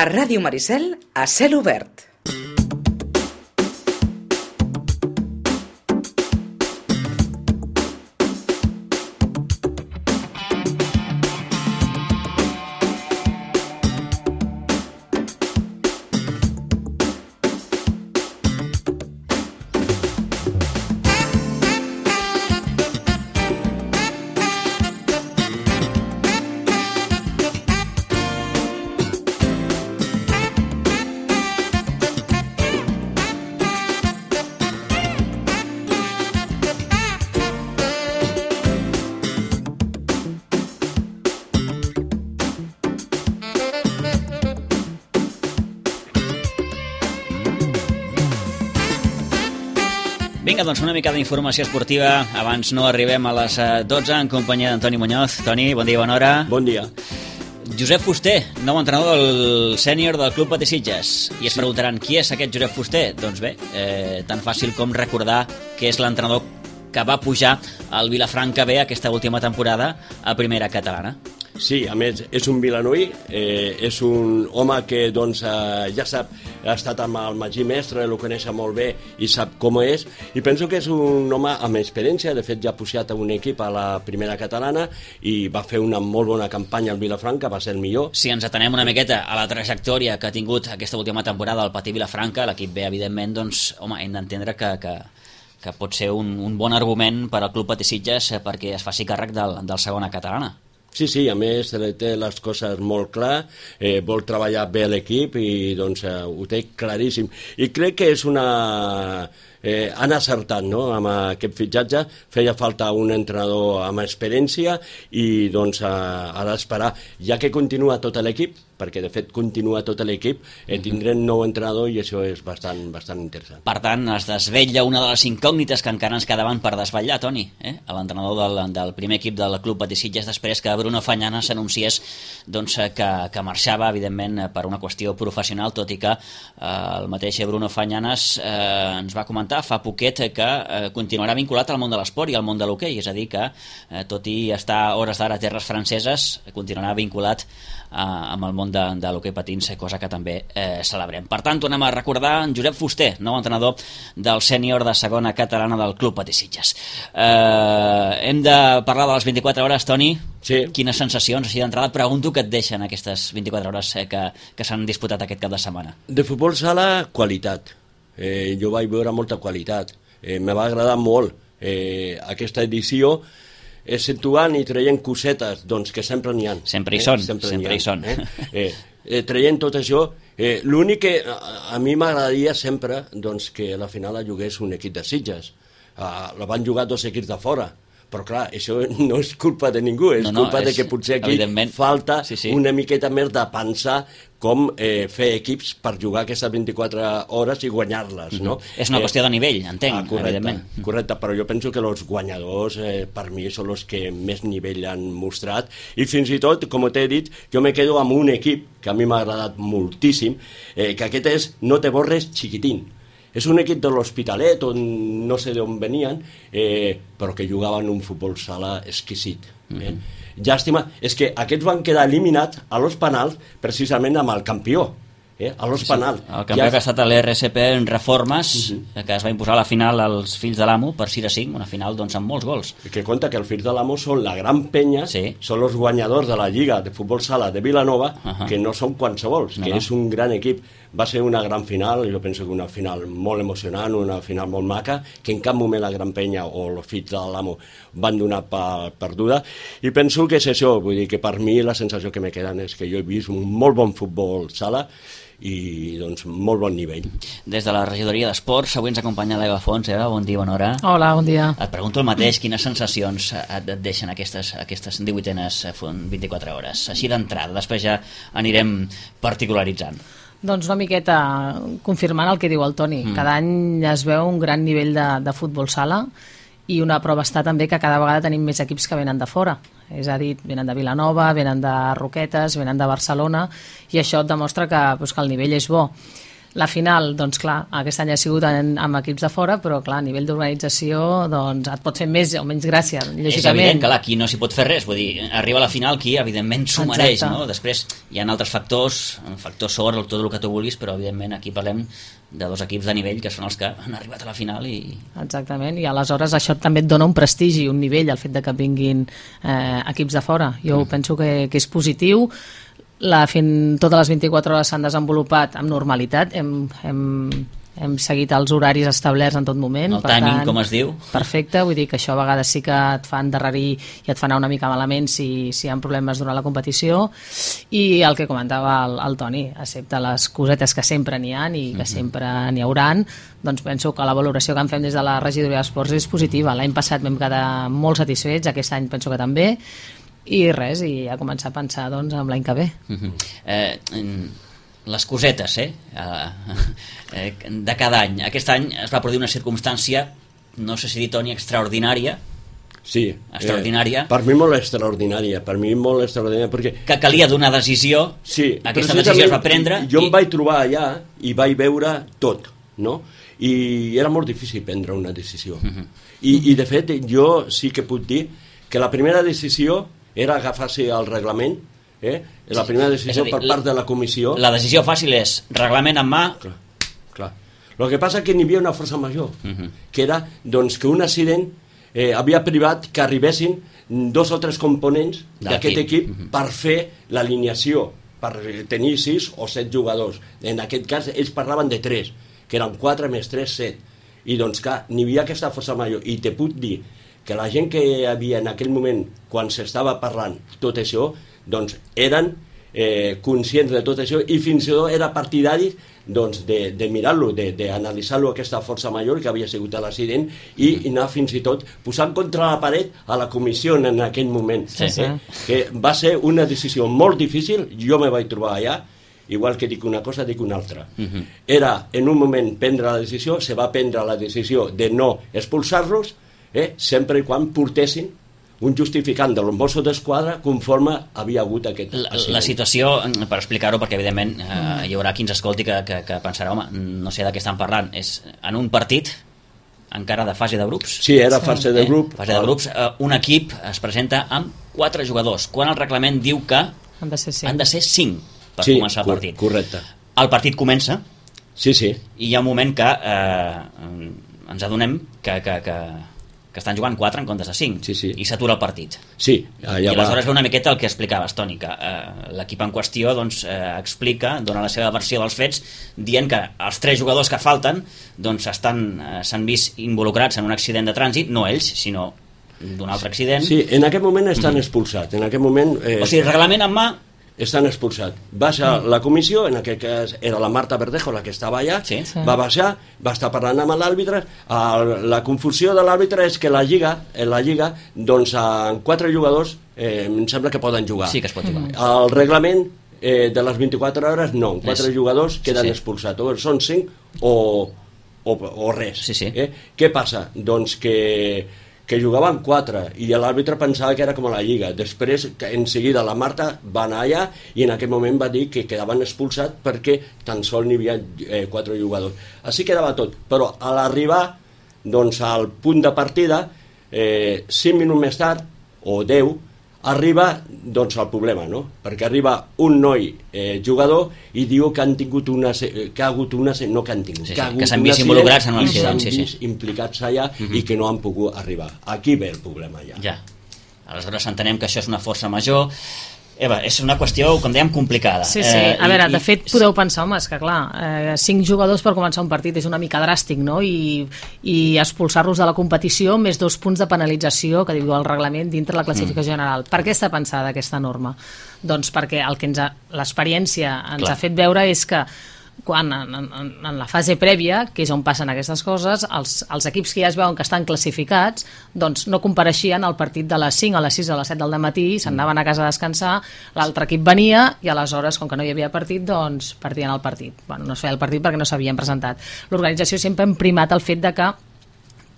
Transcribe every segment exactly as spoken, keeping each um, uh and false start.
A Ràdio Maricel, a cel obert. Vinga, doncs una mica d'informació esportiva. Abans no arribem a les dotze en companyia d'Antoni Muñoz. Toni, bon dia, bona hora. Bon dia. Josep Fuster, nou entrenador del sènior del Club Patí Sitges. I es preguntaran, qui és aquest Josep Fuster? Doncs bé, eh, tan fàcil com recordar que és l'entrenador que va pujar al Vilafranca B aquesta última temporada a primera catalana. Sí, a més, és un vilanoí, eh, és un home que doncs, eh, ja sap, ha estat amb el Magí Mestre, el coneix molt bé i sap com és, i penso que és un home amb experiència. De fet ja ha pujat a un equip a la primera catalana i va fer una molt bona campanya al Vilafranca, va ser el millor. Si ens atenem una miqueta a la trajectòria que ha tingut aquesta última temporada al Patí Vilafranca, l'equip B, evidentment, doncs, home, hem d'entendre que, que, que pot ser un, un bon argument per al Club Patí Sitges perquè es faci càrrec del, del segona catalana. Sí, sí, a més té les coses molt clar, eh, vol treballar bé l'equip i doncs eh, ho té claríssim. I crec que és una... Eh, han acertat, no?, amb aquest fitxatge. Feia falta un entrenador amb experiència i doncs eh, ha d'esperar, ja que continua tot l'equip, perquè de fet continua tot l'equip, eh, tindrem nou entrenador i això és bastant, bastant interessant. Per tant, es desvetlla una de les incògnites que encara ens quedaven per desvetllar, Toni, eh? l'entrenador del, del primer equip del Club Patí Sitges, després que Bruno Fañana s'anunciés doncs, que, que marxava, evidentment, per una qüestió professional, tot i que eh, el mateix Bruno Fañanas eh, ens va comentar fa poquet que eh, continuarà vinculat al món de l'esport i al món de l'hoquei, és a dir que eh, tot i estar a hores d'ara a terres franceses, continuarà vinculat eh, amb el món de, de l'hoquei patins, cosa que també eh, celebrem. Per tant, tornem a recordar en Josep Fuster, nou entrenador del sènior de segona catalana del Club Patí Sitges. Eh, hem de parlar de les vint-i-quatre hores, Toni. Sí. Quines sensacions, així d'entrada, pregunto que et deixen aquestes vint-i-quatre hores eh, que, que s'han disputat aquest cap de setmana? De futbol sala, qualitat. Eh, jo vaig veure molta qualitat, eh, me va agradar molt eh, aquesta edició, eh, situant i traient cosetes doncs, que sempre n'hi ha. Sempre hi són, eh? sempre, sempre hi, hi són. Eh? Eh, eh, traient tot això, eh, l'únic que a, a mi m'agradaria sempre doncs, que a la final la jugués un equip de Sitges. Uh, la van jugar dos equips de fora, però clar, això no és culpa de ningú, és no, no, culpa és, de que potser aquí falta sí, sí. una miqueta més de pensar com eh, fer equips per jugar aquestes vint-i-quatre hores i guanyar-les, no? Mm-hmm. És una eh, qüestió de nivell, entenc, ah, correcte, evidentment. Correcte, però jo penso que els guanyadors eh, per mi són els que més nivell han mostrat i fins i tot, com t'he dit, jo me quedo amb un equip que a mi m'ha agradat moltíssim, eh, que aquest és No Te Borres Chiquitín. És un equip de l'Hospitalet, on no sé d'on venien, eh, però que jugaven un futbol sala exquisit. Eh? Mm-hmm. Llàstima, és que aquests van quedar eliminats a los penals precisament amb el campió. Eh? A los sí, penals. El campió ja... que ha estat l'R S P en reformes, uh-huh. que es va imposar a la final als Fills de l'Amo per sis a cinc, una final doncs, amb molts gols. I que compta que els Fills de l'Amo són la gran penya, sí. són els guanyadors de la Lliga de Futbol Sala de Vilanova, uh-huh. que no són qualsevols, no, que no. és un gran equip. Va ser una gran final, jo penso que una final molt emocionant, una final molt maca, que en cap moment la Gran Penya o els Fills de l'Amo van donar per perduda, i penso que és això, vull dir que per mi la sensació que me queden és que jo he vist un molt bon futbol sala i doncs molt bon nivell. Des de la regidoria d'Esports, avui ens acompanya l'Eva Fons. Eva, bon dia, bona hora. Hola, bon dia. Et pregunto el mateix, quines sensacions et deixen aquestes, aquestes divuitenes vint-i-quatre hores? Així d'entrada, després ja anirem particularitzant. Doncs una miqueta confirmant el que diu el Toni. Mm. Cada any es veu un gran nivell de, de futbol sala i una prova està també que cada vegada tenim més equips que venen de fora. És a dir, venen de Vilanova, venen de Roquetes, venen de Barcelona, i això et demostra que, doncs, que el nivell és bo. La final, doncs clar, aquest any ha sigut en, amb equips de fora, però clar, a nivell d'organització doncs et pot fer més o menys gràcia, lògicament. És evident que aquí no s'hi pot fer res, vull dir, arriba a la final qui evidentment s'ho mereix, no? Després hi ha altres factors, un factor sort, tot el que tu vulguis, però evidentment aquí parlem de dos equips de nivell que són els que han arribat a la final i... Exactament, i aleshores això també et dona un prestigi, un nivell, el fet de que vinguin eh, equips de fora. Jo mm. penso que, que és positiu. La, fin, totes les vint-i-quatre hores s'han desenvolupat amb normalitat, hem, hem, hem seguit els horaris establerts en tot moment. El timing, tant, com es diu. Perfecte, vull dir que això a vegades sí que et fa endarrerir i et fa anar una mica malament si, si hi ha problemes durant la competició, i el que comentava el, el Toni, excepte les cosetes que sempre n'hi ha i que uh-huh. sempre n'hi hauran, doncs penso que la valoració que en fem des de la regidoria d'esports és positiva. L'any passat vam quedar molt satisfets, aquest any penso que també, i res, i a començar a pensar doncs en l'any que ve. Uh-huh. eh, les cosetes eh? eh, de cada any. Aquest any es va produir una circumstància, no sé si dir, Toni, extraordinària. Sí, extraordinària. Eh, per mi molt extraordinària, per mi molt extraordinària, perquè... Que calia donar decisió, sí, aquesta decisió es va prendre... Jo i... em vaig trobar allà i vaig veure tot, no? I era molt difícil prendre una decisió. Uh-huh. I, I de fet, jo sí que puc dir que la primera decisió era agafar-se al reglament, eh? La primera decisió dir, per part de la comissió... La decisió fàcil és reglament en mà... Clar, clar. El que passa és que n'hi havia una força major, uh-huh. que era doncs, que un accident eh, havia privat que arribessin dos o tres components d'aquest equip uh-huh. per fer l'alineació, per tenir sis o set jugadors. En aquest cas ells parlaven de tres, que eren quatre més tres, set. I doncs clar, n'hi havia aquesta força major. I te puc dir que la gent que hi havia en aquell moment, quan s'estava parlant tot això, doncs eren eh, conscients de tot això i fins i tot era partidari doncs, de, de mirar-lo, d'analitzar-lo aquesta força major que havia sigut l'accident i, i anar fins i tot posant contra la paret a la comissió en aquell moment. Sí, sí. Eh? Que va ser una decisió molt difícil, jo me vaig trobar allà, igual que dic una cosa, dic una altra. Uh-huh. Era en un moment prendre la decisió, se va prendre la decisió de no expulsar-los, Eh, sempre i quan portessin un justificant dels Mossos d'Esquadra conforme havia hagut aquest la, la situació, per explicar-ho, perquè evidentment eh, hi haurà qui ens escolti que, que, que pensarà, home, no sé de què estan parlant, és en un partit encara de fase de grups. Sí, era fase de grup. Eh, fase de grups, eh, un equip es presenta amb quatre jugadors, quan el reglament diu que han de ser cinc, han de ser cinc per sí, començar el partit. Correcte. El partit comença sí, sí. i hi ha un moment que eh, ens adonem que, que, que que estan jugant quatre en comptes de cinc sí, sí. i s'atura el partit. Sí, allà I aleshores va una miqueta el que explicaves, Toni, que eh, l'equip en qüestió doncs, eh, explica, dona la seva versió dels fets, dient que els tres jugadors que falten doncs, estan, eh, s'han vist involucrats en un accident de trànsit, no ells, sinó d'un altre accident. Sí, en aquest moment estan mm-hmm. expulsats. En aquest moment... Eh, o sigui, reglament en mà... Estan expulsats. Baixa mm. la comissió, en aquest cas era la Marta Verdejo la que estava allà, sí, sí. va baixar, va estar parlant amb l'àrbitre. La confusió de l'àrbitre és que la Lliga, en la Lliga, doncs amb quatre jugadors eh, em sembla que poden jugar. Sí que es pot jugar. El reglament eh, de les vint-i-quatre hores, no, quatre és... jugadors queden sí, sí. expulsats. O són cinc o, o, o res. Sí, sí. Eh? Què passa? Doncs que que jugaven quatre i l'àrbitre pensava que era com a la Lliga. Després, en seguida, la Marta va anar allà i en aquell moment va dir que quedaven expulsats perquè tan sols n'hi havia eh, quatre jugadors. Així quedava tot, però a l'arribar doncs, al punt de partida, eh, cinc minuts més tard, o deu, arriba doncs, el problema, no? Perquè arriba un noi eh, jugador i diu que han tingut una, que ha hagut una, no que han tingut, sí, sí, que, ha que s'han vist involucrats en un accident, sí, sí. implicats allà uh-huh. i que no han pogut arribar. Aquí ve el problema ja. Ja. Aleshores entenem que això és una força major. Eva, és una qüestió, com dèiem, complicada. Sí, sí. Eh, a veure, i, de fet, podeu pensar, home, és que clar, eh, cinc jugadors per començar un partit és una mica dràstic, no? I, i expulsar-los de la competició més dos punts de penalització que diu el reglament dintre la classificació mm. general. Per què està pensada aquesta norma? Doncs perquè el que ens ha, l'experiència ens clar. ha fet veure és que quan en, en, en la fase prèvia, que és on passen aquestes coses, els, els equips que ja es veuen que estan classificats doncs no compareixien al partit de les cinc a les sis o a les set del matí, se'n anaven a casa a descansar, l'altre equip venia i aleshores, com que no hi havia partit, doncs perdien el partit. Bueno, no es feia el partit perquè no s'havien presentat. L'organització sempre ha primat el fet de que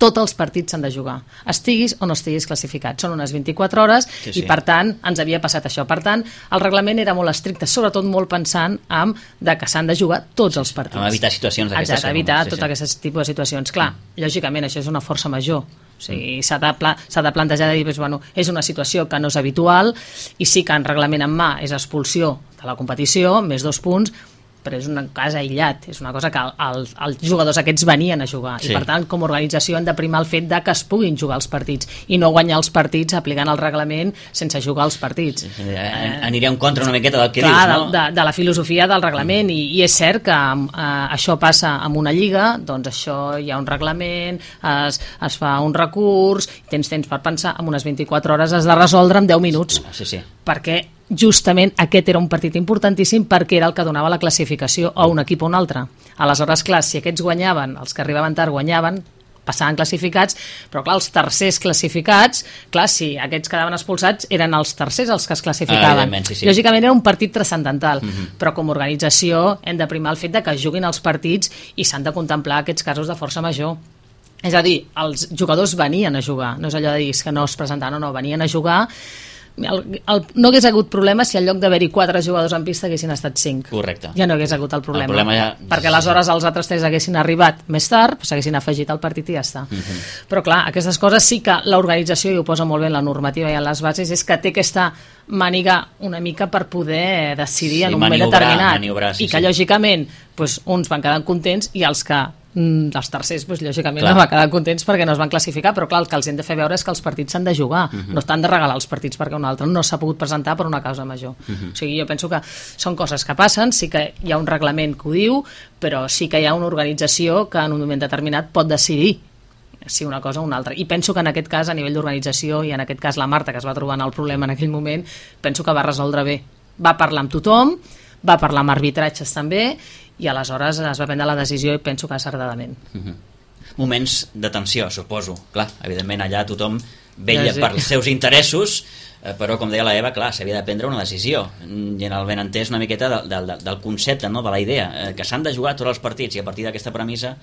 tots els partits s'han de jugar, estiguis o no estiguis classificat. Són unes vint-i-quatre hores sí, sí. i, per tant, ens havia passat això. Per tant, el reglament era molt estricte, sobretot molt pensant en de que s'han de jugar tots els partits. A evitar situacions d'aquestes. Exacte, evitar sí, tot sí. aquest tipus de situacions. Clar, mm. lògicament, això és una força major. O sigui, s'ha de, pla, s'ha de plantejar de dir, doncs, bueno, és una situació que no és habitual i sí que en reglament en mà és expulsió de la competició, més dos punts, però és un cas aïllat, és una cosa que el, els jugadors aquests venien a jugar sí. i per tant com a organització hem de primar el fet de que es puguin jugar els partits i no guanyar els partits aplicant el reglament sense jugar els partits. Sí, sí, eh, aniria en contra una miqueta del que clar, dius, no? De, de, de la filosofia del reglament mm. i, i és cert que eh, això passa amb una lliga, doncs això hi ha un reglament, es, es fa un recurs, tens temps per pensar, en unes vint-i-quatre hores has de resoldre en deu minuts, sí, sí. perquè justament aquest era un partit importantíssim perquè era el que donava la classificació a un equip o un altre. Aleshores, clar, si aquests guanyaven, els que arribaven tard guanyaven, passaven classificats, però clar, els tercers classificats, clar, si aquests quedaven expulsats, eren els tercers els que es classificaven. Ah, sí, sí. Lògicament era un partit transcendental, mm-hmm. però com a organització hem de primar el fet de que juguin els partits i s'han de contemplar aquests casos de força major. És a dir, els jugadors venien a jugar, no és allò de dir que no es presentaven, no, no, venien a jugar. El, el, no hagués hagut problema si en lloc d'haver-hi quatre jugadors en pista haguessin estat cinc. Correcte. Ja no hagués hagut el problema, el problema ja... perquè aleshores els altres tres haguessin arribat més tard, s'haguessin afegit al partit i ja està. Uh-huh. Però clar, aquestes coses sí que l'organització, i ho posa molt bé en la normativa i en les bases, és que té aquesta màniga una mica per poder decidir sí, en un moment determinat maniobrar, sí, i que sí. lògicament doncs, uns van quedar contents i els que els tercers, doncs, lògicament, clar. no van quedar contents perquè no es van classificar, però clar, el que els hem de fer veure és que els partits s'han de jugar, uh-huh. no estan de regalar els partits perquè un altre no s'ha pogut presentar per una causa major. Uh-huh. O sigui, jo penso que són coses que passen, sí que hi ha un reglament que ho diu, però sí que hi ha una organització que en un moment determinat pot decidir si una cosa o una altra. I penso que en aquest cas, a nivell d'organització, i en aquest cas la Marta, que es va trobar en el problema en aquell moment, penso que va resoldre bé. Va parlar amb tothom, va parlar amb arbitratges també, i aleshores es va prendre la decisió i penso que acertadament. Uh-huh. Moments de tensió, suposo. Clar, evidentment allà tothom vella ja, sí. per els seus interessos, eh, però com deia la Eva, clar, s'havia de prendre una decisió i en el benentès una miqueta de, de, de, del concepte, no? De la idea, eh, que s'han de jugar tots els partits i a partir d'aquesta premissa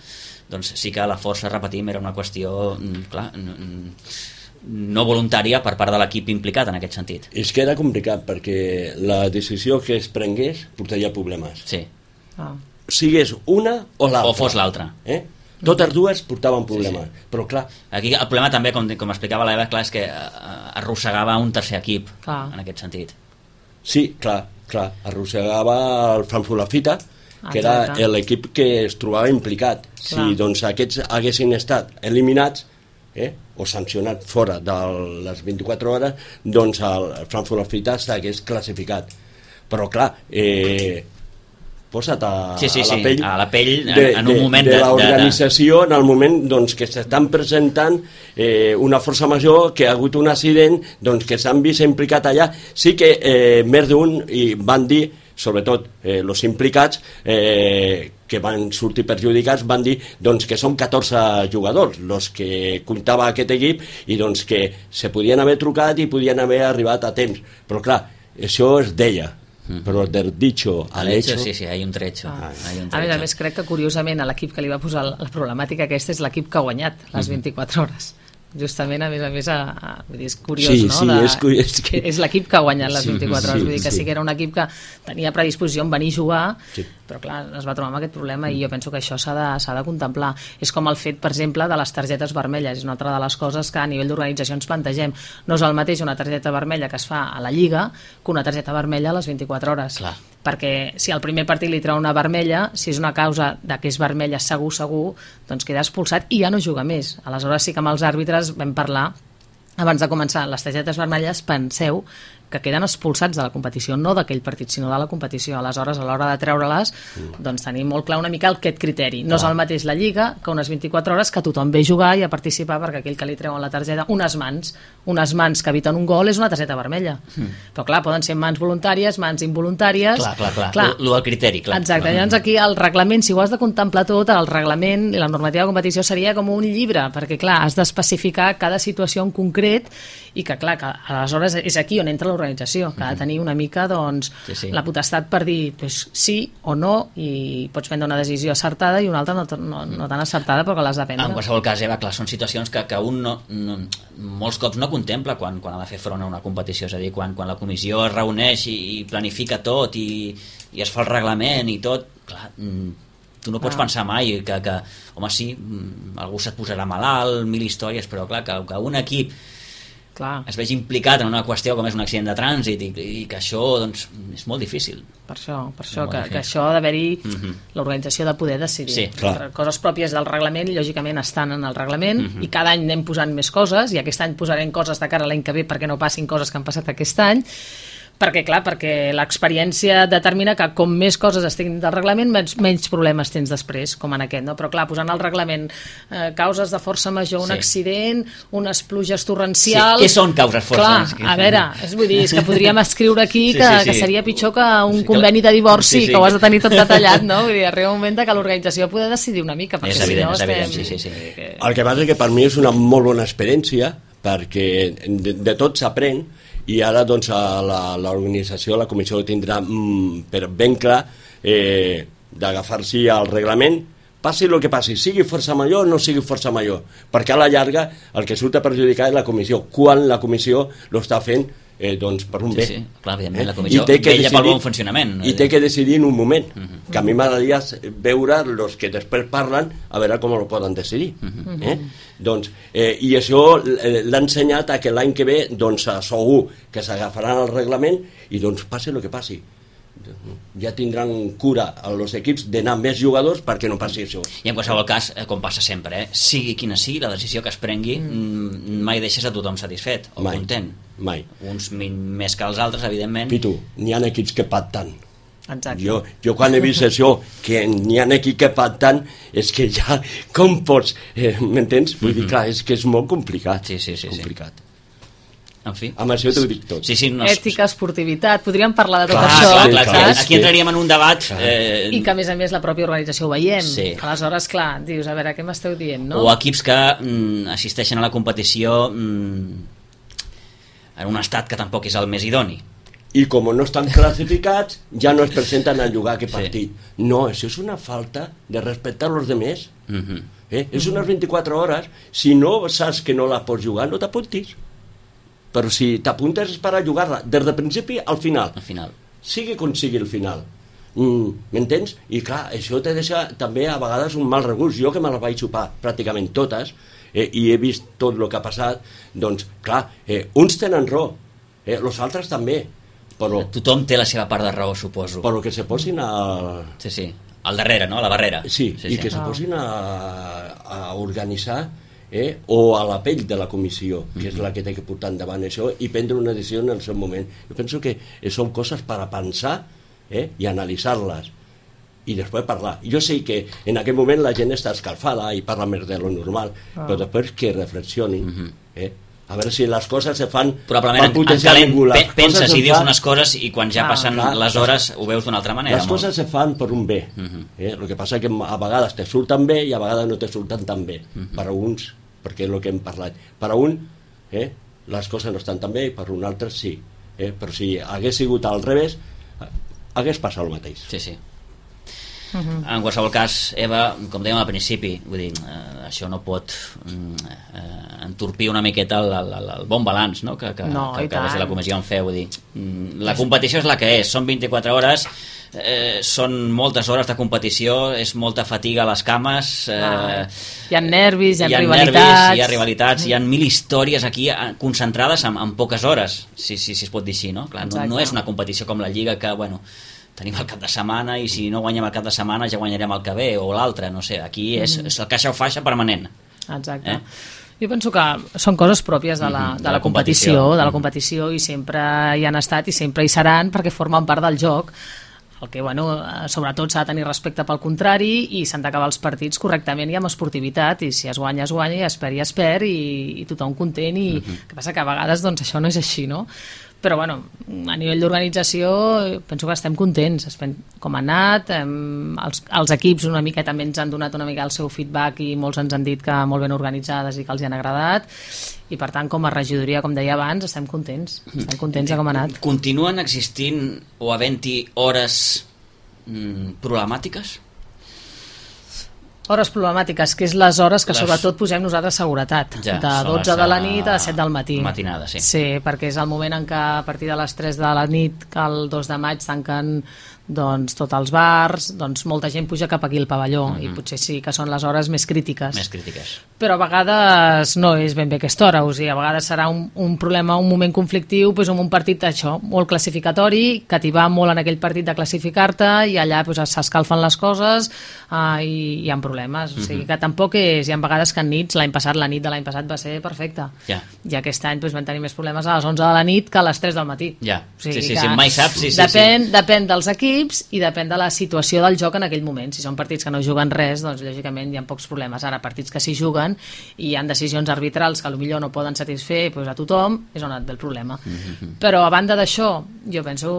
doncs sí que la força, repetim, era una qüestió clar, no voluntària per part de l'equip implicat en aquest sentit. És que era complicat perquè la decisió que es prengués portaria problemes. Sí. Ah. Sigués una o l'altra. O fos l'altra. Eh? Totes dues portaven problemes, sí, sí. però clar... Aquí el problema també, com, com explicava l'Eva, clar, és que arrossegava un tercer equip, clar. En aquest sentit. Sí, clar, clar, arrossegava el Frankfurt Lafita, que Exacte. era l'equip que es trobava implicat. Clar. Si doncs, aquests haguessin estat eliminats eh, o sancionats fora de les vint-i-quatre hores, doncs el Frankfurt Lafita s'hagués classificat. Però clar... Eh, posa't a, sí, sí, a la sí, pell, a la pell de, en un de, moment de, de, de l'organització en el moment doncs, que s'estan presentant eh, una força major, que ha hagut un accident, doncs, que s'han vist implicat allà. Sí que eh, més d'un i van dir, sobretot eh, els implicats, eh, que van sortir perjudicats, van dir doncs, que són catorze jugadors els que comptava aquest equip i doncs, que se podien haver trucat i podien haver arribat a temps. Però clar, això es deia. Però del dicho al hecho... Sí, sí, hay un trecho. Ah. Hay un trecho. A més a més, crec que curiosament a l'equip que li va posar la problemàtica aquesta és l'equip que ha guanyat les vint-i-quatre hores. Justament, a més a més, a, a, vull dir, és curiós, sí, no? Sí, De, és, és, que... és l'equip que ha guanyat les vint-i-quatre sí, hores, vull dir que sí. sí que era un equip que tenia predisposició en venir a jugar, sí. però clar, es va trobar amb aquest problema i jo penso que això s'ha de, s'ha de contemplar. És com el fet, per exemple, de les targetes vermelles, és una altra de les coses que a nivell d'organització ens plantegem. No és el mateix una targeta vermella que es fa a la Lliga que una targeta vermella a les vint-i-quatre hores. Clar. Perquè si al primer partit li treu una vermella, si és una causa de que és vermella segur, segur, doncs queda expulsat i ja no juga més. Aleshores sí que amb els àrbitres vam parlar, abans de començar, les targetes vermelles, penseu que queden expulsats de la competició, no d'aquell partit, sinó de la competició. Aleshores, a l'hora de treure-les, doncs tenim molt clar una mica aquest criteri. No és el mateix la Lliga que unes vint-i-quatre hores que tothom ve a jugar i a participar, perquè aquell que li treuen la targeta, unes mans, unes mans que eviten un gol és una targeta vermella. Mm. Però clar, poden ser mans voluntàries, mans involuntàries... Clar, clar, clar. clar. Lo del criteri, clar. Exacte. Clar. Llavors aquí el reglament, si ho has de contemplar tot, el reglament i la normativa de competició seria com un llibre, perquè clar, has d'especificar cada situació en concret i que clar, que aleshores és aquí on entra l'organització l'organització, que ha de tenir una mica doncs, sí, sí. la potestat per dir pues, sí o no, i pots prendre una decisió acertada i una altra no, no, no tan acertada però que l'has de prendre. En qualsevol cas, Eva, clar, són situacions que, que un no, no, molts cops no contempla quan, quan ha de fer front a una competició, és a dir, quan, quan la comissió es reuneix i, i planifica tot i, i es fa el reglament i tot, clar, tu no pots ah. pensar mai que, que home, sí, algú se't posarà malalt, mil històries, però clar, que, que un equip clar. Es vegi implicat en una qüestió com és un accident de trànsit i, i que això doncs, és molt difícil. Per això, per això que, que això ha d'haver-hi uh-huh. l'organització de poder decidir. Sí, clar. Coses pròpies del reglament, lògicament estan en el reglament uh-huh. i cada any anem posant més coses i aquest any posarem coses de cara a l'any que ve perquè no passin coses que han passat aquest any. Perquè, clar, perquè l'experiència determina que com més coses estiguin del reglament, menys, menys problemes tens després, com en aquest, no? Però, clar, posant al reglament eh, causes de força major, un sí. accident, unes pluges torrencials... Sí, què són causes força? Clar, a veure, és, vull dir, és que podríem escriure aquí que, sí, sí, sí. que seria pitjor que un sí, conveni de divorci, sí, sí. que ho has de tenir tot detallat, no? Vull dir, arriba un moment que l'organització ha de decidir una mica, perquè és evident, si no és estem... evident, sí, sí, sí. Que... El que passa és que per mi és una molt bona experiència, perquè de, de tot s'aprèn, i ara doncs l'organització, la comissió tindrà mm, per ben clar eh, d'agafar-s'hi al reglament, passi el que passi, sigui força major o no sigui força major, perquè a la llarga el que surt a perjudicar és la comissió, quan la comissió l'està fent eh, doncs per un sí, bé. Sí, clar, evidentment, eh? la comissió vella pel bon funcionament. I té que decidir en un moment, uh-huh. que a mi m'agradaria veure els que després parlen, a veure com ho poden decidir. Uh-huh. Eh? Doncs, eh, i això l'ha ensenyat a que l'any que ve doncs, segur que s'agafaran el reglament i doncs passi el que passi. Ja tindran cura els equips d'anar més jugadors perquè no passi això. I en qualsevol cas, com passa sempre, eh, sigui quina sigui la decisió que es prengui, mm. mai deixes a tothom satisfet o mai, content. Mai. Uns més que els altres, evidentment. Pitu, n'hi ha equips que pacten. Exacte. Jo, jo quan he vist això, que n'hi ha equips que pacten, és que ja, com pots, eh, m'entens? Vull mm-hmm. dir, clar, és que és molt complicat. Sí, sí, sí. Complicat. Sí. En fi. Amb això t'ho dic tot. Sí, sí, no... Ètica, esportivitat, podríem parlar de tot clar, això. Clar, clar, clar. Clar, aquí entraríem en un debat... Eh... I que a més a més la pròpia organització ho veiem. Sí. Aleshores, clar, dius, a veure, què m'esteu dient, no? O equips que mm, assisteixen a la competició mm, en un estat que tampoc és el més idoni. I com no estan classificats, ja no es presenten a jugar aquest partit. Sí. No, això és una falta de respectar els demés. Uh-huh. Eh? És unes vint-i-quatre hores. Si no saps que no la pots jugar, no t'apuntis. Però si t'apuntes és per a jugar-la des del principi al final. Al final. Sigui com sigui el final. Mm, m'entens? I clar, això te deixa també a vegades un mal regust. Jo que me la vaig xupar pràcticament totes eh, i he vist tot el que ha passat, doncs clar, eh, uns tenen raó, eh, els altres també. Però, tothom té la seva part de raó, suposo. Però que se posin a... Sí, sí. Al darrere, no? A la barrera. Sí, sí i sí. que se posin a, a organitzar eh, o a la pell de la comissió, que és la que té que portar endavant això i prendre una decisió en el seu moment. Jo penso que són coses per a pensar eh, i analitzar-les i després parlar. Jo sé que en aquest moment la gent està escalfada i parla més de lo normal, ah. però després que reflexionin uh-huh. eh, a veure si les coses se fan probablement en calent, pe penses i dius fan... unes coses i quan ja ah, passen clar, les hores ho veus d'una altra manera. Les molt. Coses se fan per un bé uh-huh. eh? El que passa és que a vegades te surten bé i a vegades no te surten tan bé uh-huh. per a uns, perquè és el que hem parlat, per a un eh? les coses no estan tan bé i per a un altre sí eh? Però si hagués sigut al revés hagués passat el mateix. Sí, sí. Uh-huh. En qualsevol cas, Eva, com dèiem al principi, vull dir, eh, això no pot eh, entorpir una miqueta el, el, el bon balanç no? que, que, no, que, que des de la comissió en feu. Vull dir, la competició és la que és, són vint-i-quatre hores, eh, són moltes hores de competició, és molta fatiga a les cames, eh, ah, hi ha nervis, hi ha, hi ha rivalitats, nervis, hi ha rivalitats, hi ha mil històries aquí concentrades en, en poques hores, si, si, si es pot dir així, no? Clar, no, no és una competició com la Lliga que, bueno, tenim el cap de setmana i si no guanyem el cap de setmana ja guanyarem el que ve o l'altre, no sé, aquí és, mm. és el caixa o faixa permanent. Exacte. Eh? Jo penso que són coses pròpies de la, de, de la, la competició, competició, de la competició i sempre hi han estat i sempre hi seran perquè formen part del joc. El que, bueno, sobretot s'ha de tenir respecte pel contrari i s'han d'acabar els partits correctament i amb esportivitat i si es guanya, es guanya i es perd, i es perd i, i tothom content i uh-huh. que passa que a vegades doncs, això no és així, no? però bueno, a nivell d'organització penso que estem contents com ha anat, hem, els, els equips una mica també ens han donat una mica el seu feedback i molts ens han dit que molt ben organitzades i que els hi han agradat, i per tant com a regidoria, com deia abans, estem contents estem contents de com ha anat. Continuen existint o havent-hi hores mm, problemàtiques? Hores problemàtiques, que és les hores que les... sobretot posem nosaltres seguretat, ja, de dotze de la nit a set del matí. Matinada, sí. Sí, perquè és el moment en què a partir de les tres de la nit, que el dos de maig tanquen doncs, tots els bars, doncs molta gent puja cap aquí al pavelló, uh-huh. i potser sí que són les hores més crítiques. Més crítiques. Però a vegades no és ben bé aquesta hora, o sigui, a vegades serà un, un problema, un moment conflictiu, doncs, amb un partit això, molt classificatori, que t'hi va molt en aquell partit de classificar-te, i allà doncs, s'escalfen les coses uh, i hi ha problemes. O sigui, que tampoc és... Hi ha vegades que en nits, l'any passat, la nit de l'any passat va ser perfecta. Ja. I aquest any doncs, vam tenir més problemes a les onze de la nit que a les tres del matí. Ja, o sigui, sí, sí, sí, mai saps. Sí, sí, depèn, sí. depèn dels equips i depèn de la situació del joc en aquell moment. Si són partits que no juguen res, doncs lògicament hi ha pocs problemes. Ara, partits que s'hi juguen i hi ha decisions arbitrals que potser no poden satisfer doncs, a tothom, és on et ve el problema. Mm-hmm. Però a banda d'això, jo penso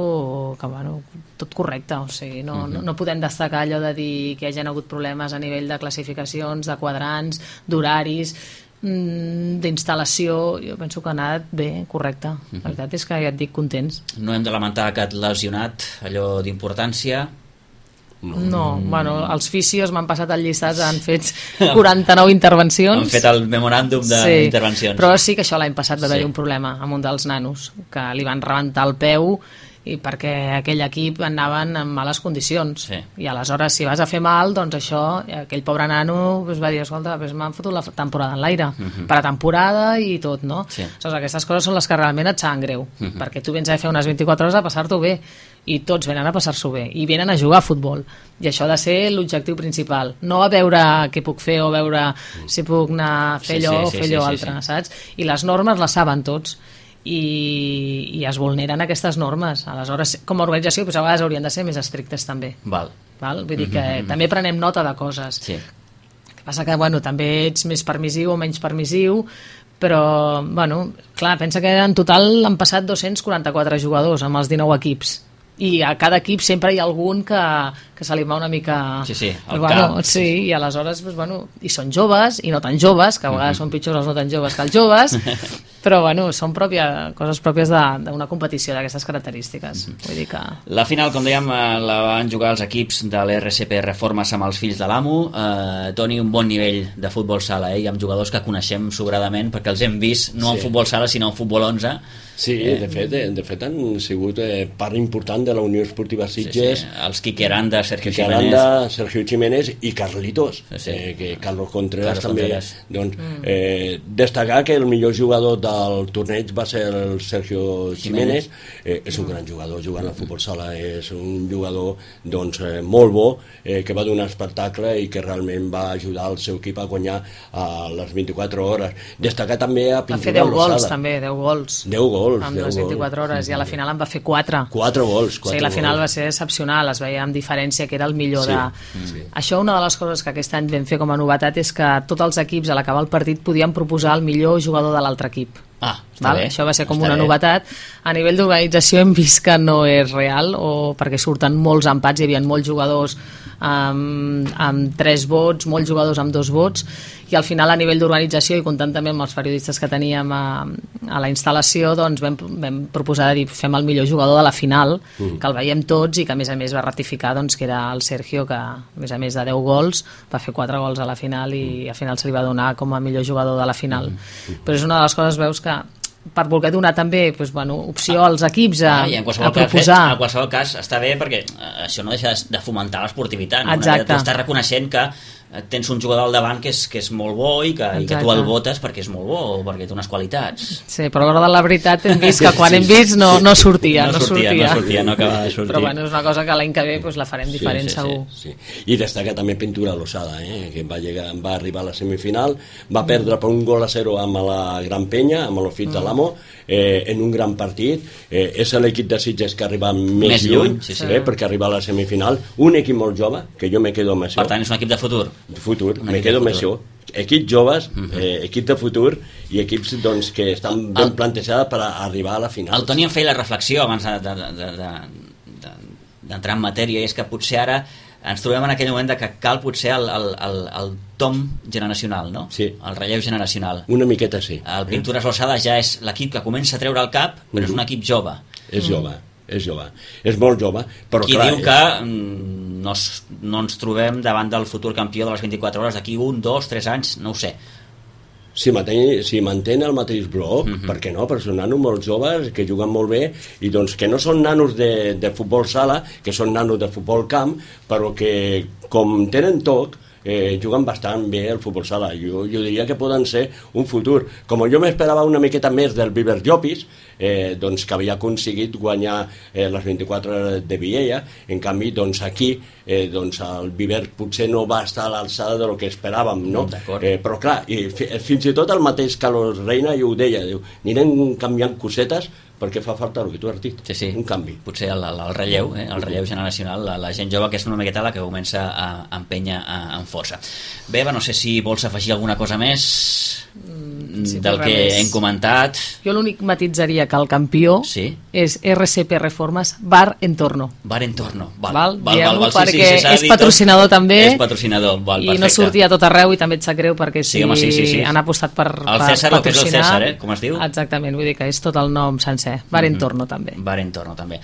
que bueno, tot correcte, o sigui, no, mm-hmm. no, no podem destacar allò de dir que hi hagi hagut problemes a nivell de classificacions, de quadrants, d'horaris, d'instal·lació. Jo penso que ha anat bé, correcte. La veritat és que ja et dic, contents. No hem de lamentar aquest lesionat, allò d'importància? No, no. Bueno, els fisios m'han passat el llistat, han fet quaranta-nou intervencions. Han fet el memoràndum d'intervencions. Sí, però sí que això l'any passat va haver-hi sí. un problema amb un dels nanos, que li van rebentar el peu i perquè aquell equip anaven en males condicions, sí. i aleshores si vas a fer mal, doncs això, aquell pobre nano pues, va dir, escolta, pues, m'han fotut la temporada en l'aire, uh-huh. per a temporada i tot, no? Sí. Aleshores, aquestes coses són les que realment et saben greu, uh-huh. perquè tu vens a fer unes vint-i-quatre hores a passar-t'ho bé, i tots venen a passar-s'ho bé, i venen a jugar a futbol, i això ha de ser l'objectiu principal, no a veure què puc fer o veure si puc anar a fer sí, allò sí, o fer sí, allò sí, altre, sí, sí. saps? I les normes les saben tots, I, i es vulneren aquestes normes. Aleshores, com a organització, doncs a vegades haurien de ser més estrictes també. Val. Val? Vull dir que mm-hmm. també prenem nota de coses. Sí. El que passa que bueno, també ets més permissiu o menys permissiu, però bueno, clar, pensa que en total han passat dos-cents quaranta-quatre jugadors amb els dinou equips. I a cada equip sempre hi ha algun que, que se li va una mica... Sí, sí, el bueno, cap. Sí, i aleshores, doncs, bueno, i són joves, i no tan joves, que a vegades mm-hmm. són pitjors els no tan joves que els joves, però bueno, són pròpia, coses pròpies d'una competició d'aquestes característiques. Mm-hmm. Vull dir que... La final, com dèiem, la van jugar els equips de l'R C P Reformes amb els fills de l'Amo. Eh, Toni, un bon nivell de futbol sala, eh? I amb jugadors que coneixem sobradament, perquè els hem vist no sí. en futbol sala, sinó en futbol onze. Sí, eh, de, fet, de fet han sigut eh, part important de la Unió Esportiva Sitges. Sí, sí. Els Quique Aranda, Sergio Quique Jiménez. Aranda, Sergio Jiménez i Carlitos, sí, sí. Eh, que Carlos Contreras Carlos també. Contreras. Doncs, mm. eh, destacar que el millor jugador del torneig va ser el Sergio Jiménez. Eh, és un gran jugador, jugant al futbol sala, és un jugador doncs, eh, molt bo, eh, que va donar espectacle i que realment va ajudar el seu equip a guanyar a les vint-i-quatre hores. Destacar també a Pintura Lozada. Va fer deu gols també, deu gols. deu gols. Amb les vint-i-quatre hores, i a la final en va fer quatre. quatre gols. O sigui, la final gols. Va ser excepcional, es veia amb diferència que era el millor sí. de... Sí. Això, una de les coses que aquest any vam fer com a novetat és que tots els equips a l'acabar el partit podien proposar el millor jugador de l'altre equip. Ah, està Val? bé. Això va ser com està una bé. novetat. A nivell d'organització hem vist que no és real, o perquè surten molts empats, hi havia molts jugadors amb, amb tres vots, molts jugadors amb dos vots, i al final a nivell d'organització, i comptant també amb els periodistes que teníem a, a la instal·lació, doncs vam, vam proposar de dir, fem el millor jugador de la final, mm. que el veiem tots, i que a més a més va ratificar doncs, que era el Sergio, que a més a més de deu gols va fer quatre gols a la final, i al final se li va donar com a millor jugador de la final. Mm. Però és una de les coses, veus, que per voler donar també doncs, bueno, opció ah, als equips a, ah, a proposar. Cas, en qualsevol cas està bé, perquè això no deixa de fomentar l'esportivitat, no? Exacte. Tu estàs reconeixent que tens un jugador al davant que és, que és molt bo i que, i que tu el votes perquè és molt bo o perquè té unes qualitats. Sí, però a l'hora de la veritat hem vist que quan sí, hem vist no, no sortia. No, no sortia, sortia, no sortia, no acabava de sortir. Però bueno, és una cosa que l'any que ve pues, la farem diferent, sí, sí, segur. Sí, sí. I destaca també Pintura Lozada, eh, que va, llegar, va arribar a la semifinal, va perdre per un gol a zero amb la Gran Penya, amb l'Ofit mm. de l'Amo, eh, en un gran partit. Eh, és l'equip de Sitges que arriba més, més lluny, lluny sí, sí. Eh, perquè arriba a la semifinal. Un equip molt jove, que jo me quedo amb això. Per tant, és un equip de futur. De futur, me quedo amb això. equips joves, eh, equips de futur i equips doncs, que estan ben el, plantejats per arribar a la final. El Toni em feia la reflexió abans d'entrar de, de, de, de, de, en matèria, i és que potser ara ens trobem en aquell moment de que cal potser el, el, el, el tom generacional, no? Sí. El relleu generacional. Una miqueta sí. El Pintures Lossada ja és l'equip que comença a treure el cap, però mm. és un equip jove. És jove. És jove, és molt jove, però qui clar... diu que mm, no, no ens trobem davant del futur campió de les vint-i-quatre hores d'aquí un, dos, tres anys, no ho sé. Si mantén, si mantén el mateix bloc, uh-huh. per què no? Perquè són nanos molt joves, que juguen molt bé, i doncs que no són nanos de, de futbol sala, que són nanos de futbol camp, però que com tenen toc, eh, juguen bastant bé el futbol sala. Jo, jo diria que poden ser un futur. Com jo m'esperava una miqueta més del Viver Llopis, eh, doncs que havia aconseguit guanyar eh, les vint-i-quatre hores de Viella, en canvi doncs aquí eh, doncs el Viver potser no va estar a l'alçada de lo que esperàvem, no? Eh, però clar, i fins i tot el mateix Carlos Reina ja ho deia, diu, anirem canviant cosetes perquè fa falta el que tu has dit, sí, sí. un canvi. Potser el, el, el relleu, eh? el relleu generacional, la, la gent jove que és una miqueta la que comença a empènyer amb força. Bé, no sé si vols afegir alguna cosa més mm, sí, del que més. hem comentat. Jo l'únic matitzaria que el campió sí? és R C P Reformes Bar Entorno. Bar Entorno, val. val, val, val, val perquè sí, sí, sí, és patrocinador tot. també. És patrocinador, val, i perfecte. no sortia a tot arreu i també et sap greu perquè si sí, home, sí, sí, sí. han apostat per, el César, per patrocinar... El César, el César, eh? Com es diu? Exactament, vull dir que és tot el nom sencer. Bar Entorno, mm-hmm. també. Bar Entorno, també.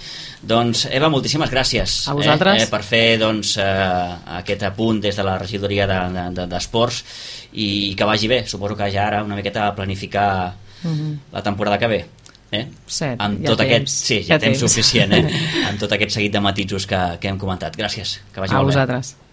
Doncs, Eva, moltíssimes gràcies. A vosaltres. Eh, eh, per fer, doncs, eh, aquest apunt des de la regidoria d'Esports de, de, i que vagi bé. Suposo que ja ara una miqueta a planificar mm-hmm. la temporada que ve. Eh? Sí, amb ja tot temps. aquest, sí, ja, ja temps, temps suficient, eh? amb tot aquest seguit de matisos que, que hem comentat. Gràcies, que vagi a molt vosaltres. bé.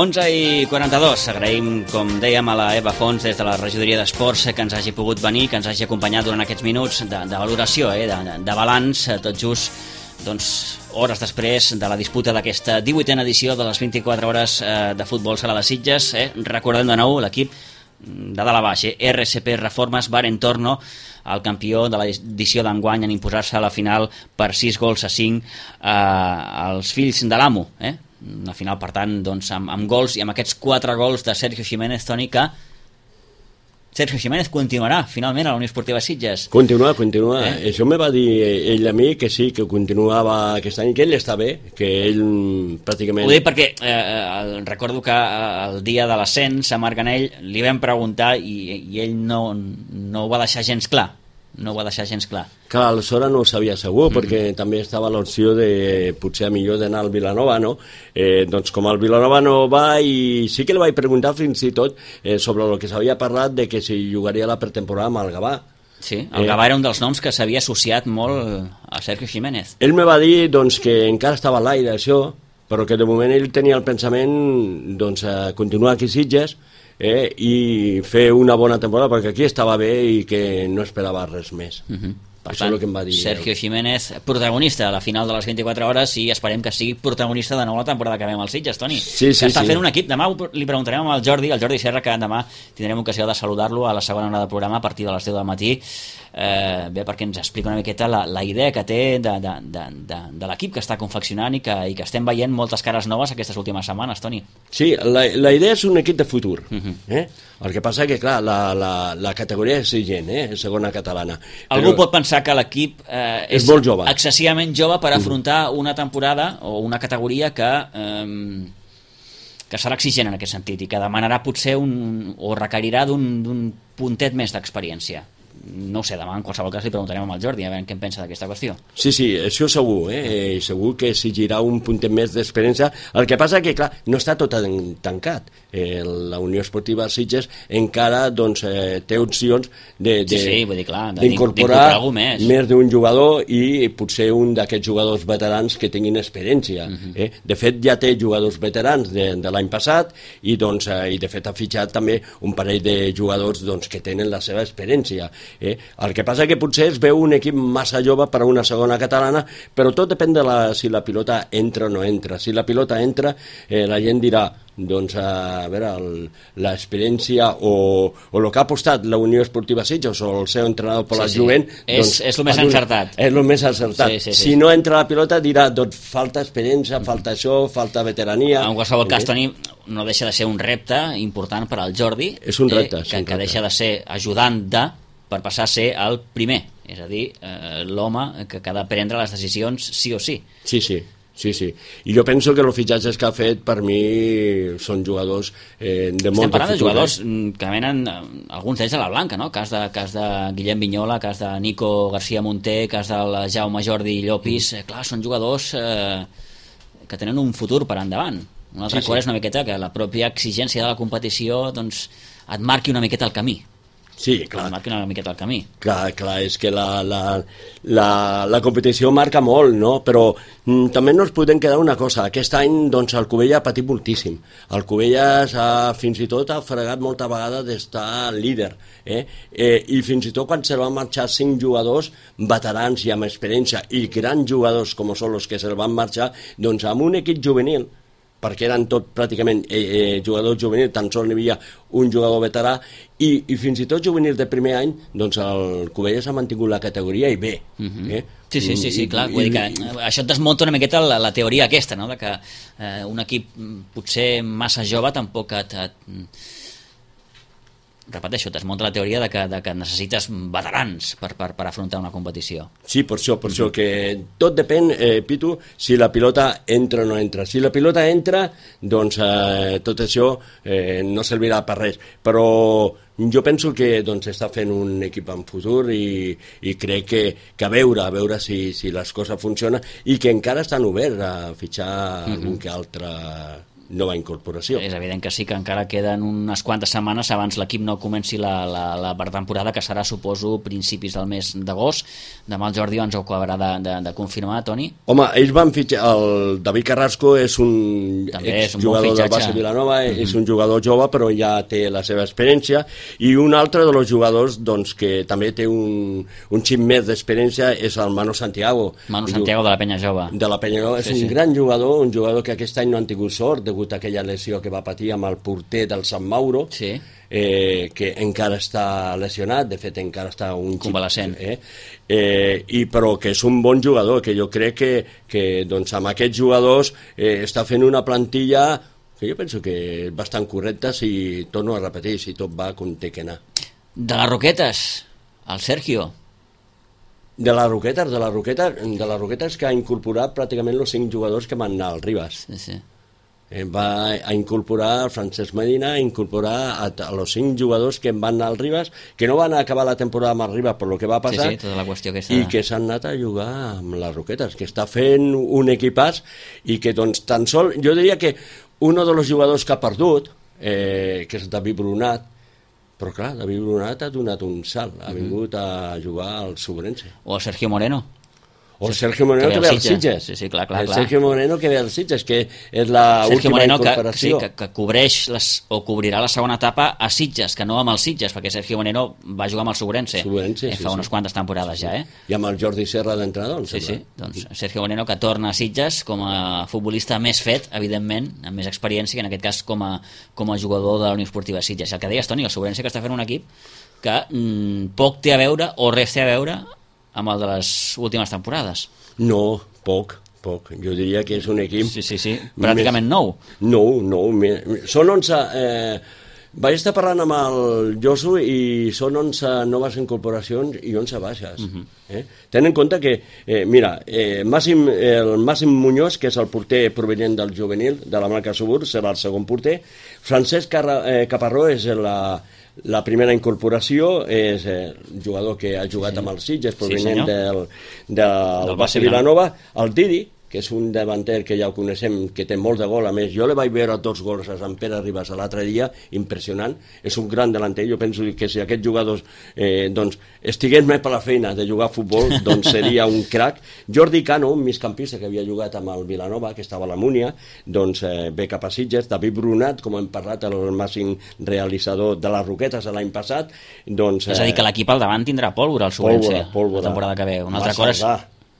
onze i quaranta-dos, agraïm, com dèiem, a la Eva Fons des de la regidoria d'Esports que ens hagi pogut venir, que ens hagi acompanyat durant aquests minuts de, de valoració, eh, de, de balanç, tot just doncs, hores després de la disputa d'aquesta divuitena edició de les vint-i-quatre hores eh, de futbol sala de Sitges. Eh? Recordem de nou l'equip de dalt a baix, eh? R C P Reformes Bar Entorno, el campió de l'edició d'enguany en imposar-se a la final per sis gols a cinc eh, als fills de l'amo, eh? Una final, per tant, doncs, amb, amb gols i amb aquests quatre gols de Sergio Jiménez, Toni, que Sergio Jiménez continuarà finalment a la Unió Esportiva Sitges. Continua, continua. Eh? Això me va dir ell a mi que sí, que continuava aquest any, que ell està bé, que ell pràcticament... Ho dic perquè eh, recordo que el dia de l'ascens a Marganell li vam preguntar i, i ell no, no ho va deixar gens clar. No ho va deixar gens clar. Clar, aleshores no ho sabia segur, mm-hmm. perquè també estava l'opció de potser millor d'anar al Vilanova, no? Eh, doncs com el Vilanova no va, i sí que li vaig preguntar fins i tot eh, sobre el que s'havia parlat de que si jugaria la pretemporada amb el Gavà. Sí, el Gavà eh, era un dels noms que s'havia associat molt a Sergio Jiménez. Ell me va dir doncs, que encara estava a l'aire això, però que de moment ell tenia el pensament doncs, a continuar aquí a Sitges, Eh, i fer una bona temporada perquè aquí estava bé i que no esperava res més. Uh-huh. Per Això tant, és el que em va dir Sergio Jiménez, protagonista a la final de les vint-i-quatre hores, i esperem que sigui protagonista de nou la temporada que ve amb els Sitges, Toni. Sí, sí, que està sí. fent un equip. Demà li preguntarem al Jordi, al Jordi Serra, que demà tindrem ocasió de saludar-lo a la segona hora del programa a partir de les deu del matí. Eh, bé, perquè ens explica una miqueta la, la idea que té de, de, de, de, de l'equip que està confeccionant i que, i que estem veient moltes cares noves aquestes últimes setmanes, Toni. Sí, la, la idea és un equip de futur. Uh-huh. eh? El que passa que, clar, la, la, la categoria és exigent, eh? segona catalana. Algú Però... pot pensar que l'equip eh, és, és molt jove. excessivament jove per afrontar una temporada o una categoria que... Eh, que serà exigent en aquest sentit i que demanarà potser un, o requerirà d'un puntet més d'experiència. no ho sé, demà en qualsevol cas li preguntarem al Jordi a veure què en pensa d'aquesta qüestió. Sí, sí, això segur, eh? Segur que s'exigirà un puntet més d'experiència. El que passa que, clar, no està tot tancat. Eh, la Unió Esportiva Sitges encara doncs, eh, té opcions de, de, sí, sí, vull dir, clar, d'incorporar més, més d'un jugador i potser un d'aquests jugadors veterans que tinguin experiència. Uh-huh. eh? De fet, ja té jugadors veterans de, de l'any passat i, doncs, eh, i de fet ha fitxat també un parell de jugadors doncs, que tenen la seva experiència. Eh? El que passa que potser es veu un equip massa jove per a una segona catalana, però tot depèn de la, si la pilota entra o no entra. Si la pilota entra, eh, la gent dirà doncs, a veure, l'experiència o, o el que ha apostat la Unió Esportiva Sitges o el seu entrenador per sí, la sí. Jovent és, doncs, és el més encertat. És el més encertat. Sí, sí, sí. Si no entra la pilota dirà, doncs falta experiència, falta això, falta veterania. En qualsevol cas, Toni, no deixa de ser un repte important per al Jordi, és un repte, eh, que, que deixa de ser ajudant de per passar a ser el primer, és a dir, eh, l'home que ha de prendre les decisions sí o sí. Sí, sí. Sí, sí. I jo penso que els fitxatges que ha fet per mi són jugadors eh, de molt de futur. Estem parlant de jugadors que venen, alguns d'ells a la blanca, no? Cas de, cas de Guillem Vignola, cas de Nico García Monter, cas del Jaume Jordi Llopis. Mm. Eh, clar, són jugadors eh, que tenen un futur per endavant. Una altra sí, cosa sí. És una miqueta que la pròpia exigència de la competició doncs, et marqui una miqueta el camí. Sí, clar. Marca una miqueta el camí. Clar, clar, és que la, la, la, la competició marca molt, no? Però mm, també no ens podem quedar una cosa. Aquest any, doncs, el Cubella ha patit moltíssim. El Cubella ha, fins i tot ha fregat molta vegada d'estar líder. Eh? Eh, I fins i tot quan se van marxar cinc jugadors veterans i amb experiència i grans jugadors com són els que se van marxar, doncs amb un equip juvenil, perquè eren tot pràcticament eh, eh, jugadors juvenils, tan sols n'hi havia un jugador veterà, i, i fins i tot juvenils de primer any, doncs el Cubelles ha mantingut la categoria i bé. Uh-huh. eh? Sí, sí, sí, sí, clar. Vull dir que això et desmunta una miqueta la, la teoria aquesta, no? De que eh, un equip potser massa jove tampoc et... et repeteixo, desmunta la teoria de que, de que necessites veterans per, per, per afrontar una competició. Sí, per això, per això, que tot depèn, eh, Pitu, si la pilota entra o no entra. Si la pilota entra, doncs eh, tot això eh, no servirà per res. Però jo penso que doncs, està fent un equip en futur i, i crec que, que a veure, a veure si, si les coses funcionen i que encara estan oberts a fitxar mm-hmm. algun que altre nova incorporació. És evident que sí, que encara queden unes quantes setmanes abans l'equip no comenci la, la, la pretemporada, que serà, suposo, principis del mes d'agost. Demà el Jordi ens ho acabarà de, de, de confirmar, Toni. Home, ells van fitxar... El David Carrasco és un exjugador bon del Barça Vilanova, mm-hmm. és un jugador jove, però ja té la seva experiència, i un altre dels jugadors doncs, que també té un, un xip més d'experiència és el Manu Santiago. Manu Santiago de la Penya Jove. De la Penya Jove. És sí, un sí. gran jugador, un jugador que aquest any no han tingut sort, degut a aquella lesió que va patir amb el porter del Sant Mauro, sí. eh, que encara està lesionat, de fet encara està un convalescent, eh? Eh, i però que és un bon jugador, que jo crec que, que doncs, amb aquests jugadors eh, està fent una plantilla que jo penso que és bastant correcta, si torno a repetir, si tot va com té que anar. De les Roquetes, el Sergio. De les Roquetes, de les Roquetes, de les Roquetes que ha incorporat pràcticament els cinc jugadors que van anar al Ribas. Sí, sí. Va a incorporar Francesc Medina, a incorporar a, a los cinc jugadors que van anar al Ribas, que no van acabar la temporada amb el Ribas per lo que va passar, sí, sí, tota la qüestió que està... i que s'han anat a jugar amb les Roquetes, que està fent un equipàs i que doncs tan sol, jo diria que un dels jugadors que ha perdut, eh, que és David Brunat, però clar, David Brunat ha donat un salt, ha vingut a jugar al Sobrense. O el Sergio Moreno. O el Sergio Moreno que, que ve als Sitges. Sí, sí, clar, clar, el clar. Sergio Moreno que ve als Sitges, que és la Sergio última Moreno incorporació. Que, sí, que, que cobreix les, o cobrirà la segona etapa a Sitges, que no amb els Sitges, perquè Sergio Moreno va jugar amb el Sobrense. Sobrense, eh, sí, fa sí. unes quantes temporades ja, eh? I amb el Jordi Serra d'entrenador, em sí, sembla. Sí, doncs Sergio Moreno que torna a Sitges com a futbolista més fet, evidentment, amb més experiència, que en aquest cas com a, com a jugador de la Unió Esportiva Sitges. El que deies, Toni, el Sobrense que està fent un equip que mm, poc té a veure o res té a veure amb el de les últimes temporades. No, poc, poc. Jo diria que és un equip... Sí, sí, sí. Pràcticament nou. Nou, nou. Són onze... Eh, Vaig estar parlant amb el Josu i són onze noves incorporacions i onze baixes. Uh -huh. eh? Ten en compte que, eh, mira, eh, Màxim, el Màxim Muñoz, que és el porter provenient del juvenil de la marca Subur, serà el segon porter. Francesc Carra, eh, Caparró és la, la primera incorporació, és eh, un jugador que ha jugat sí. amb el Sitges, provenient sí, del, del, del Base Vilanova. El Didi, que és un davanter que ja ho coneixem, que té molt de gol, a més, jo le vaig veure dos gols a Sant Pere Ribas l'altre dia, impressionant, és un gran delanter, jo penso que si aquests jugadors eh, doncs, estigués més per la feina de jugar a futbol, doncs seria un crac. Jordi Cano, un migcampista que havia jugat amb el Vilanova, que estava a la Múnia, doncs eh, ve cap a Sitges. David Brunat, com hem parlat, el màxim realitzador de les Roquetes l'any passat, doncs... És a dir, que l'equip al davant tindrà pólvora, el Sobrense, pólvora, pólvora. la temporada que ve. Un altre cor és...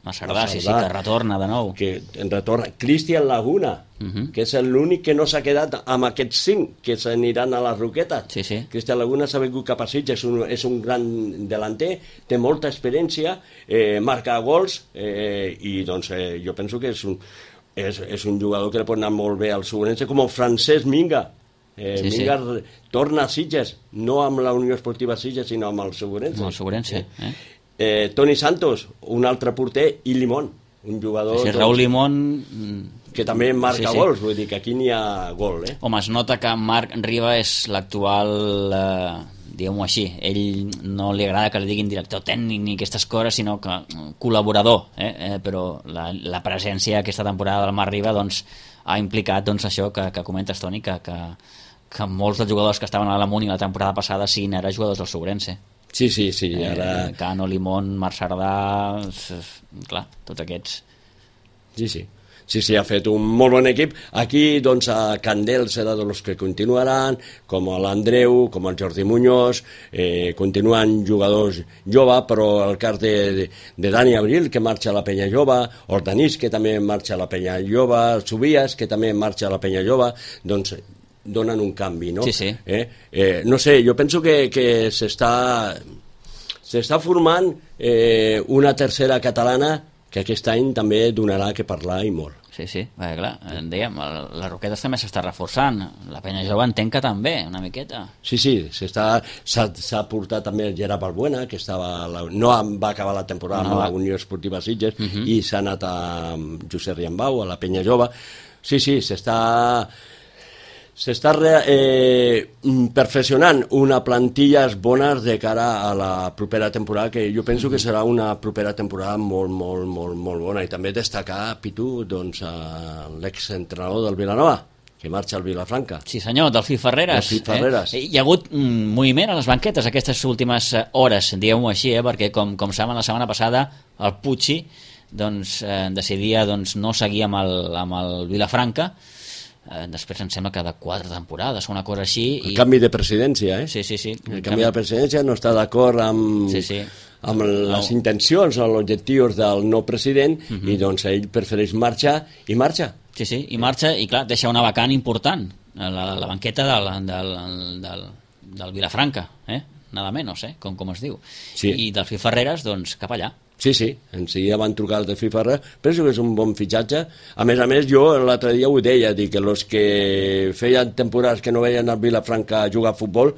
Massardà, sí, sí, que retorna de nou. Que retorna. Cristian Laguna, uh -huh. que és l'únic que no s'ha quedat amb aquests cinc que s'aniran a les Roquetes. Sí, sí. Cristian Laguna s'ha vingut cap a Sitges, és un, és un gran delanter, té molta experiència, eh, marca gols, eh, i doncs eh, jo penso que és un, és, és un jugador que li pot anar molt bé al Sobrense, com el Francesc Minga. Eh, sí, Minga sí. torna a Sitges, no amb la Unió Esportiva Sitges, sinó amb el Sobrense. Amb el Sobrense, eh? eh? Eh, Toni Santos, un altre porter, i Limón, un jugador... Sí, sí, Raúl Limón... que també marca sí, sí. gols, vull dir que aquí n'hi ha gol, eh? Home, es nota que Marc Riba és l'actual, eh, diguem-ho així, ell no li agrada que li diguin director tècnic ni aquestes coses, sinó que col·laborador, eh? Eh, però la, la presència aquesta temporada del Marc Riba doncs, ha implicat doncs, això que, que comentes, Toni, que, que, que molts dels jugadors que estaven a la Múnia la temporada passada siguin ara jugadors del Sobrense. Sí, sí, sí. Ara... Eh, Cano, Limón, Marc Sardà, clar, tots aquests. Sí, sí. Sí, sí, ha fet un molt bon equip. Aquí, doncs, a Candel serà dels que continuaran, com l'Andreu, com el Jordi Muñoz, eh, continuen jugadors joves, però el cas de, de, de Dani Abril, que marxa a la Penya Jove, Hortanís, que també marxa a la Penya Jove, Subias, que també marxa a la Penya Jove, doncs donen un canvi, no? Sí, sí. Eh? Eh, no sé, jo penso que, que s'està s'està formant eh, una tercera catalana que aquest any també donarà que parlar i molt. Sí, sí, perquè clar, dèiem, les Roquetes també s'està reforçant, la Penya Jove entenc que també, una miqueta. Sí, sí, s'ha portat també el Gerard Balbuena, que estava la, no va acabar la temporada no, amb la Unió Esportiva Sitges, uh -huh. i s'ha anat a Josep Riambau, a la Penya Jove. Sí, sí, s'està... s'està eh, perfeccionant una plantilles bones de cara a la propera temporada, que jo penso que serà una propera temporada molt, molt, molt, molt bona. I també destacar, Pitu, doncs, l'exentrenador del Vilanova, que marxa al Vilafranca. Sí senyor, Delfí Ferreres. Delfí Ferreres. Eh? Hi ha hagut un moviment a les banquetes aquestes últimes hores, diguem-ho així, eh? perquè com, com saben la setmana passada el Pucci doncs, eh, decidia doncs, no seguir amb el, amb el Vilafranca. Eh, després em sembla que de quatre temporades o una cosa així. El i... canvi de presidència, eh? Sí, sí, sí. El, el canvi de presidència no està d'acord amb, sí, sí. amb les no. intencions o els objectius del nou president uh -huh. i doncs ell prefereix marxar i marxa. Sí, sí, i marxa i clar, deixa una vacant important, la, la banqueta del, del, del, del Vilafranca, eh? Nada menos, eh? Com, com es diu. Sí. I Delfí Ferreres, doncs, cap allà. Sí, sí, en seguida van trucar al Delfí Ferrer, penso que és un bon fitxatge. A més a més, jo l'altre dia ho deia, dic que els que feien temporades que no veien al Vilafranca jugar a futbol,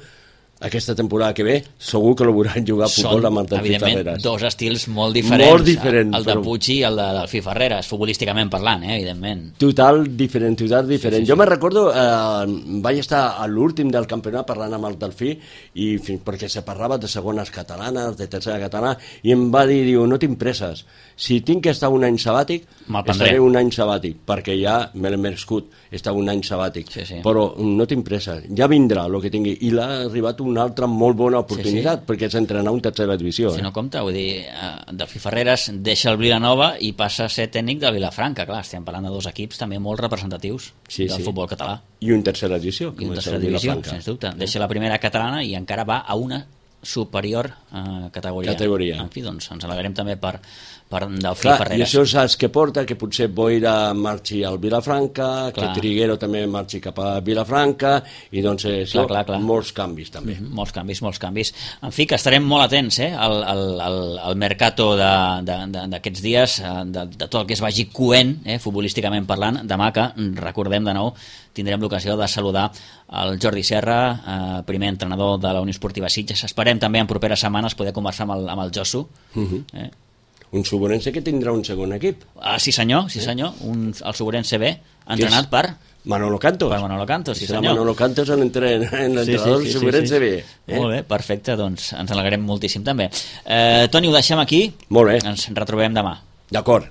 aquesta temporada que ve segur que lo veuran jugar a futbol amb el Delfí Ferreres. Són, dos estils molt diferents, molt diferents el de Puig i el de Delfí Ferreres, futbolísticament parlant, eh, evidentment. Total diferent, total diferent. Sí, sí, sí. Jo me recordo, eh, vaig estar a l'últim del campionat parlant amb el Delfí, i perquè se parlava de segones catalanes, de tercera catalana, i em va dir, diu, no tinc presses, si tinc que estar un any sabàtic, estaré un any sabàtic, perquè ja me l'he merescut estar un any sabàtic, sí, sí. però no tinc presses, ja vindrà el que tingui, i l'ha arribat una altra molt bona oportunitat, sí, sí. perquè és entrenar un tercera divisió. Si eh? no compta, vull dir, uh, Delfí Ferreres deixa el Vilanova i passa a ser tècnic del Vilafranca, clar, estem parlant de dos equips també molt representatius sí, del sí. futbol català. I un tercera divisió. I un tercera divisió, sens dubte. Deixa la primera catalana i encara va a una superior uh, categoria. categoria. En fi, doncs ens alegrem també per, per Delfí clar, Ferreres. I això saps què porta? Que potser Boira marxi al Vilafranca, clar. que Triguero també marxi cap a Vilafranca, i doncs eh, clar, clar, clar. molts canvis també. Mm -hmm, molts canvis, molts canvis. En fi, que estarem molt atents eh, al, al, al, al mercato d'aquests dies, de, de tot el que es vagi coent, eh, futbolísticament parlant. Demà, que recordem de nou, tindrem l'ocasió de saludar el Jordi Serra, eh, primer entrenador de la Unió Esportiva Sitges. Esperem també en properes setmanes poder conversar amb el, amb el Josu. Uh-huh. eh? Un Suburense que tindrà un segon equip. Ah, sí senyor, sí senyor. Un, el Suburense B, entrenat per... Manolo Cantos. Per Manolo Cantos, sí Serà senyor. Manolo Cantos l'entrenador sí, sí, sí, Suburense sí, sí. B. Eh? Molt bé, perfecte, doncs ens alegrem moltíssim també. Eh, Toni, ho deixem aquí. Molt bé. Ens retrobem demà. D'acord.